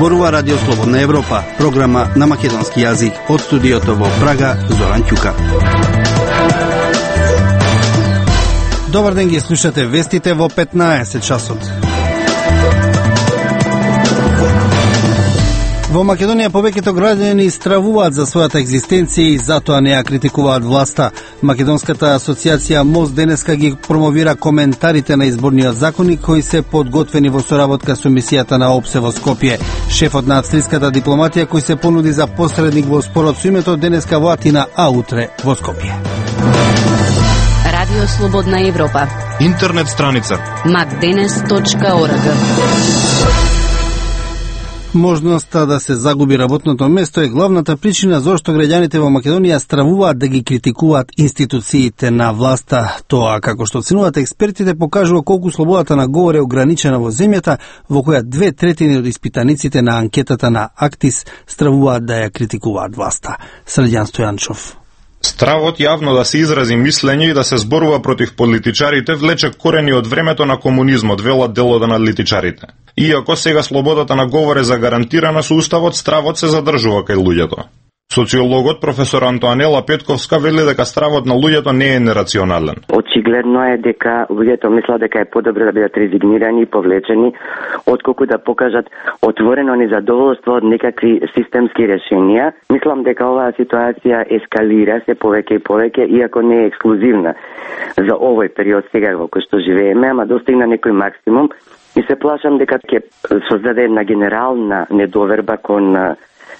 Зборува Радио Слободна Европа, програма на македонски јазик. Од студиото во Прага, Зоран Ќука. Добар ден, ги слушате вестите во 15 часот. Во Македонија повеќето граѓани стравуваат за својата екзистенција и затоа не ја критикуваат власта. Македонската асоциација МОСТ денеска ги промовира коментарите на изборниот законник кои се подготвени во соработка со мисијата на ОПСЕ во Скопје. Шефот на австриската дипломатија кој се понуди за посредник во спорот со името денеска во Атина, а утре во Скопје. Радио Слободна Европа. Интернет страница macdenes.org. Можноста да се загуби работното место е главната причина зашто граѓаните во Македонија стравуваат да ги критикуваат институциите на власта. Тоа, како што оценуваат експертите, покажува колку слободата на говор е ограничена во земјата, во која 2/3 од испитаниците на анкетата на Актис стравуваат да ја критикуваат власта. Средјан Стојанчов. Стравот јавно да се изрази мислење и да се зборува против политичарите влече корени од времето на комунизмот, велат дел од аналитичарите. Иако сега слободата на говор е загарантирана со уставот, стравот се задржува кај луѓето. Социологот професор Антоанела Петковска вели дека стравот на луѓето не е нерационален. Очигледно е дека луѓето мислат дека е подобро да бидат резигнирани и повлечени, отколку да покажат отворено незадоволство од некакви системски решенија. Мислам дека оваа ситуација ескалира се повеќе и повеќе, иако не е ексклузивна за овој период сега во кој што живееме, ама достигна некој максимум и се плашам дека ќе создаде една генерална недоверба кон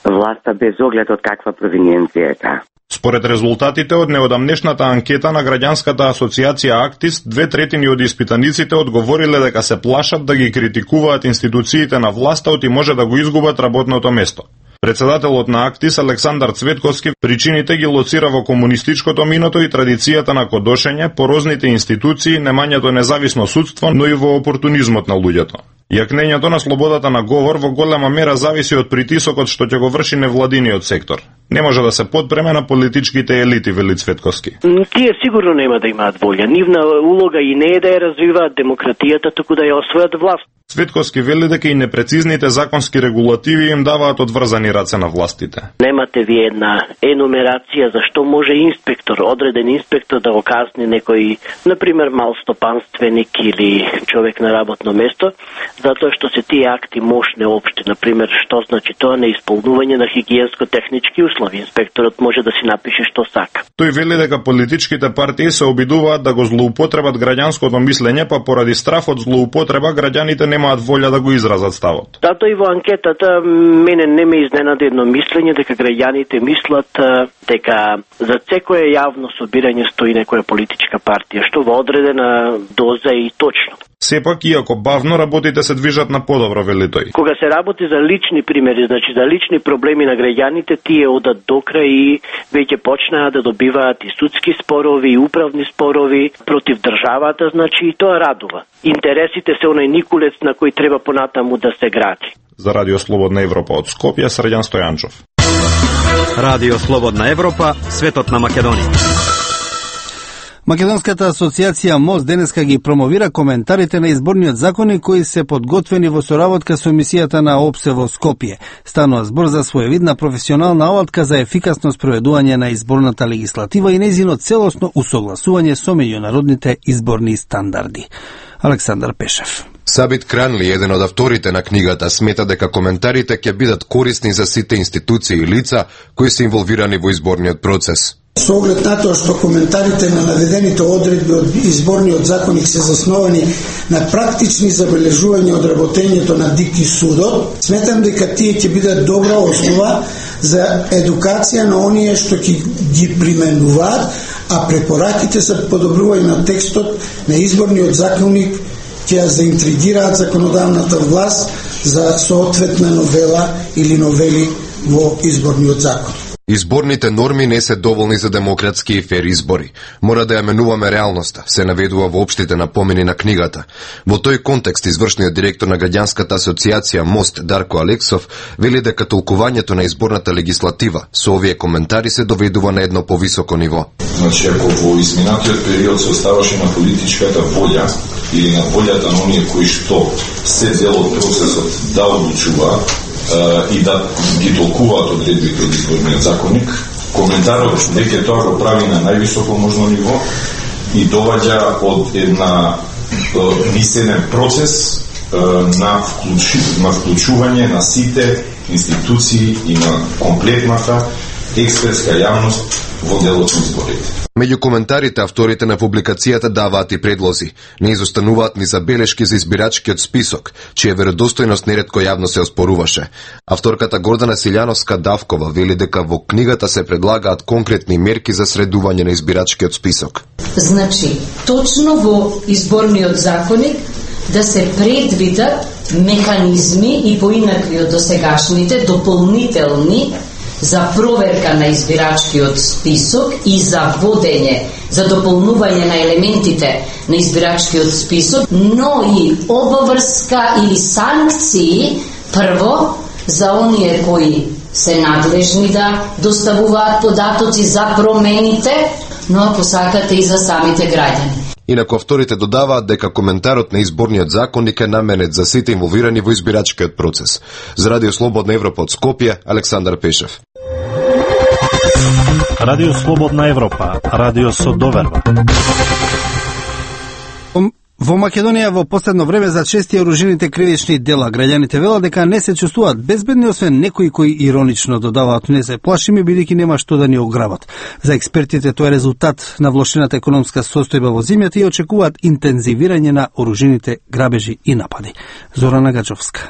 власта без оглед од каква провиненција е таа. Според резултатите од неодамнешната анкета на граѓанската асоциација Актис, 2/3 од испитаниците одговориле дека се плашат да ги критикуваат институциите на власта и може да го изгубат работното место. Председателот на Актис Александар Цветковски причините ги лоцира во комунистичкото миното и традицијата на кодошење, порозните институции, немањето независно судство, но и во опортунизмот на луѓето. Јакнењето на слободата на говор во голема мера зависи од притисокот што ќе го врши невладиниот сектор. Не може да се подпреме на политичките елити, вели Цветковски. Тие сигурно нема да имаат волја. Нивна улога и не е да ја развиваат демократијата, туку да ја освојат власт. Цветковски вели дека и непрецизните законски регулативи им даваат одврзани раце на властите. Немате ви една енумерација за што може инспектор, одреден инспектор да го казни некој, например, малстопанственик или човек на работно место, затоа што се тие акти мошне општи, например, што значи тоа неисполнување на хигиенско-технички услови. Инспекторот може да си напише што сака. Тој вели дека политичките партии се обидуваат да го злоупотребат граѓанското мислење, па поради страф од злоупотреба граѓаните немаат волја да го изразат ставот. Затоа и во анкетата мене не ме изненади едно мислење дека граѓаните мислат дека за секое јавно собирање стои некоја политичка партија, што во одредена доза и точно. Сепак, иако бавно, работите се движат на подобро, вели тој. Кога се работи за лични примери, значи за лични проблеми на граѓаните, тие одат до крај и веќе почнаа да добиваат и судски спорови, и управни спорови против државата, значи и тоа радува. Интересите се онај никулец на кој треба понатаму да се гради. За Радио Слободна Европа од Скопје, Средјан Стојанчов. Радио Слободна Европа, светот на Македонија. Македонската асоциација МОСТ денеска ги промовира коментарите на изборниот законник кои се подготвени во соработка со мисијата на ОПСЕ во Скопје. Станува збор за своевидна професионална алатка за ефикасно спроведување на изборната легислатива и нејзино целосно усогласување со меѓународните изборни стандарди. Александар Пешев. Сабит Кранли, еден од авторите на книгата, смета дека коментарите ќе бидат корисни за сите институции и лица кои се инволвирани во изборниот процес. Со оглед на тоа што коментарите на наведените одредби од изборниот законник се засновани на практични забележувања од работењето на ДИК и судот, сметам дека тие ќе бидат добра основа за едукација на оние што ќе ги применуваат, а препораките за подобрување на текстот на изборниот законник ќе ја заинтригираат законодавната власт за соодветна новела или новели во изборниот закон. Изборните норми не се доволни за демократски и фер избори. Мора да ја менуваме реалноста, се наведува во општите напомени на книгата. Во тој контекст, извршниот директор на граѓанската асоциација МОСТ Дарко Алексов вели дека толкувањето на изборната легислатива со овие коментари се доведува на едно повисоко ниво. Значи, ако во изминатиот период се оставаше на политичката волја или на волјата на оние кои што се дел од процесот да одлучуваат, и да ги толкуваат одредбите од изборниот законник. Коментарот дека тоа го прави на највисоко можно ниво и доваѓа од мислен процес на вклучување на сите институции и на комплетната експертска јавност во делот на изборите. Меѓу коментарите, авторите на публикацијата даваат и предлози. Не изостануваат ни забелешки за избирачкиот список, чија веродостојност неретко јавно се оспоруваше. Авторката Гордана Силјановска-Давкова вели дека во книгата се предлагаат конкретни мерки за средување на избирачкиот список. Значи, точно во изборниот законник да се предвидат механизми и поинакви од досегашните дополнителни за проверка на избирачкиот список и за водење, за дополнување на елементите на избирачкиот список, но и обврска или санкции прво за оние кои се надлежни да доставуваат податоци за промените, но ако сакате и за самите граѓани. Инаку авторите додаваат дека коментарот на изборниот законник е наменет за сите инволвирани во избирачкиот процес. За Радио Слободна Европа од Скопје, Александар Пешев. Радио Слободна Европа, радио со доверба. Во Македонија во последно време за чести оружените кривични дела граѓаните велат дека не се чувствуваат безбедни, освен некои кои иронично додаваат не се плашиме бидејќи нема што да ни ограбат. За експертите тоа е резултат на влошената економска состојба во земјата и очекуваат интензивирање на оружените грабежи и напади. Зорана Гачовска.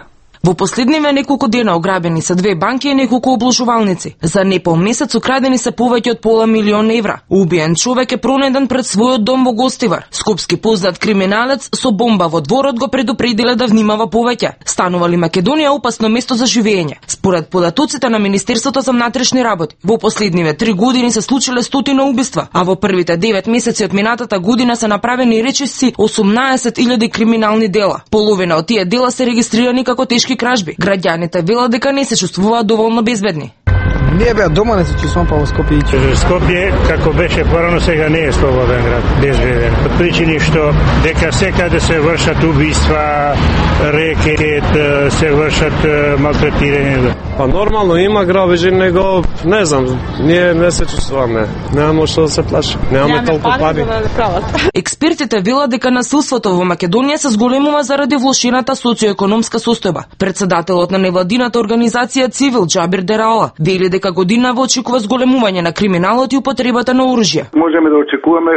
Во последниве неколку дена ограбени се 2 банки и неколку обложувалници. За непол месец украдени се повеќе од пола милион евра. Убиен човек е пронеден пред својот дом во Гостивар. Скопски познат криминалец со бомба во дворот го предупредиле да внимава повеќе. Станува ли Македонија опасно место за живење? Според податоците на Министерството за внатрешни работи, во последниве 3 години се случиле стотина убиства, а во првите 9 месеци од минатата година се направени речиси 18.000 криминални дела. Половина од тие дела се регистрирани како тешки кражби. Граѓаните велат дека не се чувствуваат доволно безбедни. Ние беа дома, не се чувствувам па во Скопје. Скопје, како беше порано, сега не е слободен град, безбеден. Од причини што дека секаде се вршат убиства, рекет, се вршат малтретирање. Па нормално има грабежи, него не знам, ние не се чувствуваме. Немаме што да се плаши. Немаме толку пари. Експертите велат дека насилството во Македонија се зголемува заради влошената социоекономска состојба. Председателот на невладината организација Цивил Џабир Дерала вели дека годинава очекува зголемување на криминалот и употребата на оружје. Можеме да очекуваме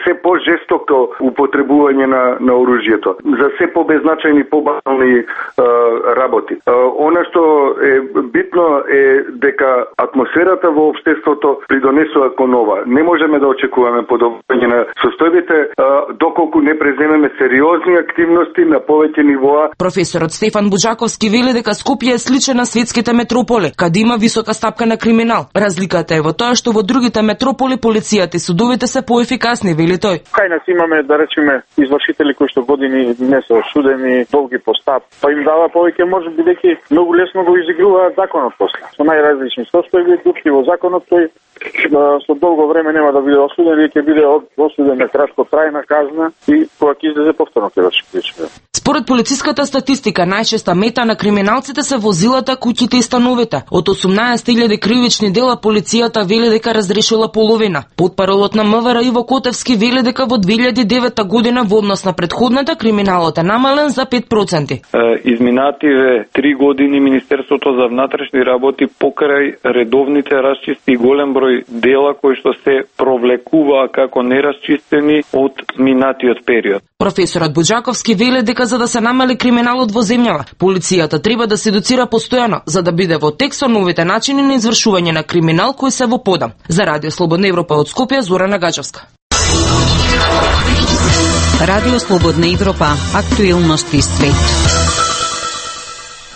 се по-жестоко употребување на оружјето за се по-беззначајни, по-банални работи. Она што е битно е дека атмосферата во општеството придонесува кон ова. Не можеме да очекуваме подобрување на состојбите доколку не преземеме сериозни активности на повеќе нивоа. Професорот Стефан Буџаковски вели дека Скопје е сличен на светските метрополи, каде има висока стапка на криминал. Разликата е во тоа што во другите метрополи полицијата и судовите се поефикасни, вели тој. Кај нас имаме, да речеме, извршители кои што години не се осудени, долги по стап, па им дава повеќе, може бидејќи многу лесно го изигруваат законот после. Со најразлични состојби, дупки во законот, тој со долго време нема да биде осуден, или ќе биде осуден на краткотрајна казна и кога ќе излезе повторно ќе врши кривични. Според полициската статистика, најчеста мета на криминалците се возилата, куќите и становите. Од 18.000 кривични дела полицијата вели дека разрешила половина. Потпаролот на МВР Иво Котевски вели дека во 2009 година во однос на предходната криминалот е намален за 5%. Изминативе 3 години Министерството за внатрешни работи покрај редовните расчисти и голем број дела кои што се провлекуваа како нерасчистени од минатиот период. Професорот Буџаковски вели дека за да се намали криминалот во земјава, полицијата треба да се едуцира постојано, за да биде во тек со новите начини на извршување на криминал кои се во подам. За Радио Слободна Европа од Скопје, Зорана Гачевска. Радио Слободна Европа, актуелности свет.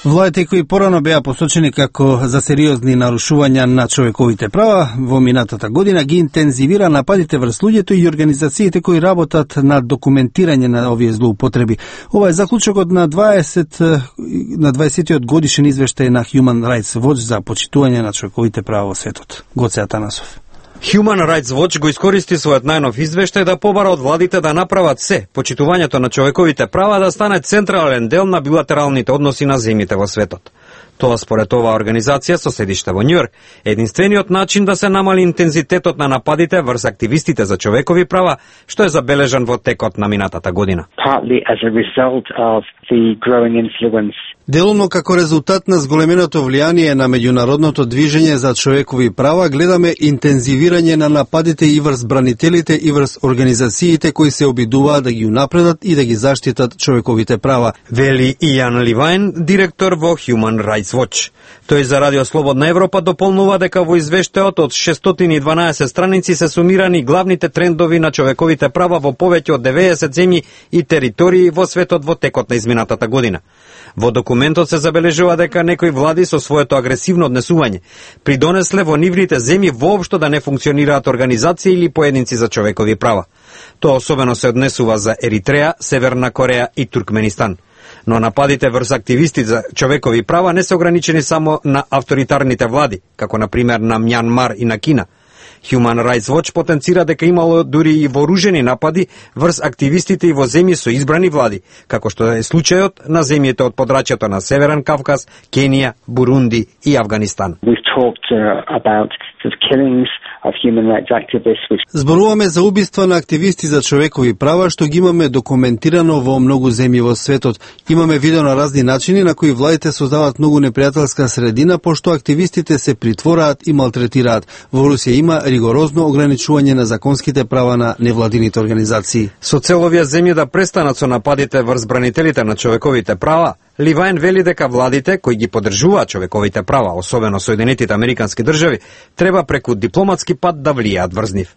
Владите кои порано беа посочени како за сериозни нарушувања на човековите права во минатата година ги интензивира нападите врз луѓето и организациите кои работат на документирање на овие злоупотреби. Ова е заклучокот на 20-тиот годишен извештај на Human Rights Watch за почитување на човековите права во светот. Гоце Атанасов. Human Rights Watch го искористи својот најнов извештај да побара од владите да направат се почитувањето на човековите права да стане централен дел на билатералните односи на земјите во светот. Тоа според оваа организација со седиште во Њујорк, единствениот начин да се намали интензитетот на нападите врз активистите за човекови права, што е забележан во текот на минатата година. Делумно како резултат на зголеменото влијание на меѓународното движење за човекови права, гледаме интензивирање на нападите и врз бранителите и врз организациите кои се обидуваат да ги унапредат и да ги заштитат човековите права, вели Ијан Ливајн, директор во Human Rights Watch. Тој за Радио Слободна Европа дополнува дека во извештајот од 612 страници се сумирани главните трендови на човековите права во повеќе од 90 земји и територии во светот во текот на изминатата година. Во документот се забележува дека некои влади со своето агресивно однесување придонесле во нивните земји воопшто да не функционираат организации или поединци за човекови права. Тоа особено се однесува за Еритреја, Северна Кореја и Туркменистан. Но нападите врз активисти за човекови права не се ограничени само на авторитарните влади, како на пример на Мјанмар и на Кина. Human Rights Watch потенцира дека имало дури и вооружени напади врз активистите и во земји со избрани влади, како што е случајот на земјите од подрачјето на Северен Кавказ, Кенија, Бурунди и Авганистан. Зборуваме за убиства на активисти за човекови права што ги имаме документирано во многу земји во светот. Имаме видено на разни начини на кои владите создаваат многу непријателска средина, пошто активистите се притвораат и малтретираат. Во Русија има ригорозно ограничување на законските права на невладините организации. Со цел овие земји да престанат со нападите врз бранителите на човековите права, Ливајн вели дека владите кои ги поддржуваат човековите права, особено Соединетите Американски држави, треба преку дипломатски пат да влијаат врз нив.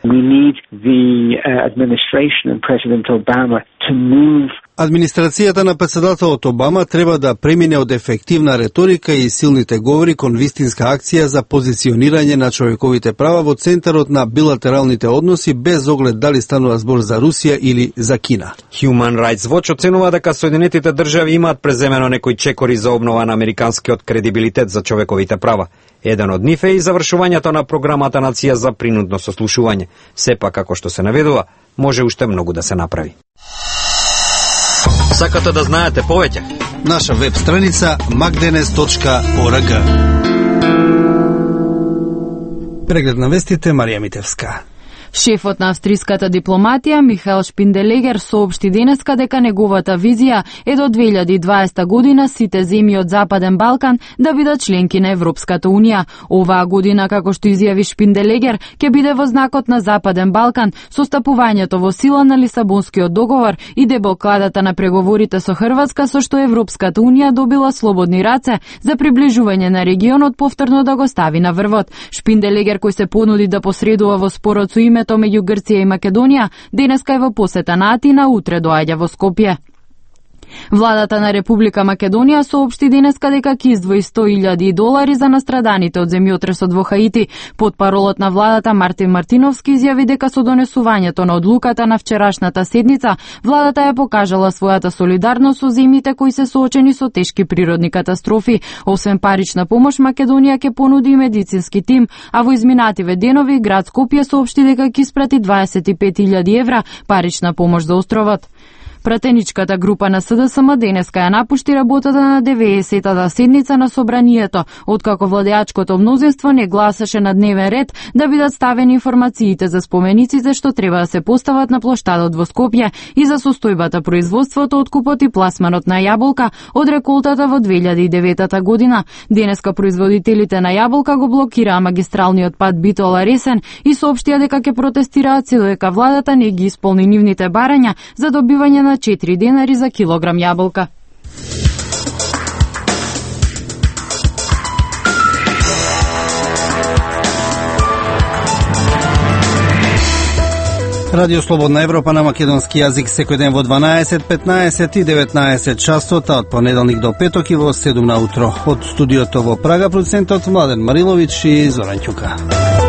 Администрацијата на председателот Обама треба да премине од ефективна реторика и силните говори кон вистинска акција за позиционирање на човековите права во центарот на билатералните односи, без оглед дали станува збор за Русија или за Кина. Human Rights Watch оценува дека Соединетите држави имаат преземено некои чекори за обнова на американскиот кредибилитет за човековите права. Еден од нив е и завршувањето на програмата Нација за принудно сослушување. Сепак, како што се наведува, може уште многу да се направи. Сакате да знаете повеќе? Наша веб страница magdenes.org. Преглед на вестите, Марија Митевска. Шефот на австриската дипломатија Михаел Шпинделегер соопшти денеска дека неговата визија е до 2020 година сите земји од Западен Балкан да бидат членки на Европската Унија. Оваа година, како што изјави Шпинделегер, ќе биде во знакот на Западен Балкан со стапувањето во сила на Лисабонскиот договор и деблокадата на преговорите со Хрватска, со што Европската Унија добила слободни раце за приближување на регионот повторно да го стави на врвот. Шпинделегер, кој се понуди да посредува во спорот со името меѓу Грција и Македонија, денеска е во посета на Атина, утре доаѓа во Скопје. Владата на Република Македонија соопшти денеска дека ќе издвои $100,000 за настраданите од земјотресот во Хаити. Потпаролот на владата Мартин Мартиновски изјави дека со донесувањето на одлуката на вчерашната седница, владата ја покажала својата солидарност со земјите кои се соочени со тешки природни катастрофи. Освен парична помош, Македонија ќе понуди и медицински тим, а во изминативе денови град Скопје соопшти дека ќе испрати €25,000 парична помош за островот. Пратеничката група на СДСМ денеска ја напушти работата на 90-та седница на собранието, откако владеачкото мнозинство не гласаше на дневен ред да бидат ставени информациите за спомениците што треба да се постават на плоштадот во Скопје и за состојбата, производството, откупот и пласманот на јаболка од реколтата во 2009 година. Денеска производителите на јаболка го блокираа магистралниот пат Битола-Ресен и соопштија дека ќе протестираат се додека владата не ги исполни нивните барања за добивање на 4 денари за килограм јаболка. Радио Слободна Европа на македонски јазик секој ден во 12, 15 и 19 часот, од понеделник до петок и во 7 на утро. Од студиото во Прага, продуцентот Младен Марилович и Зоран Ќука.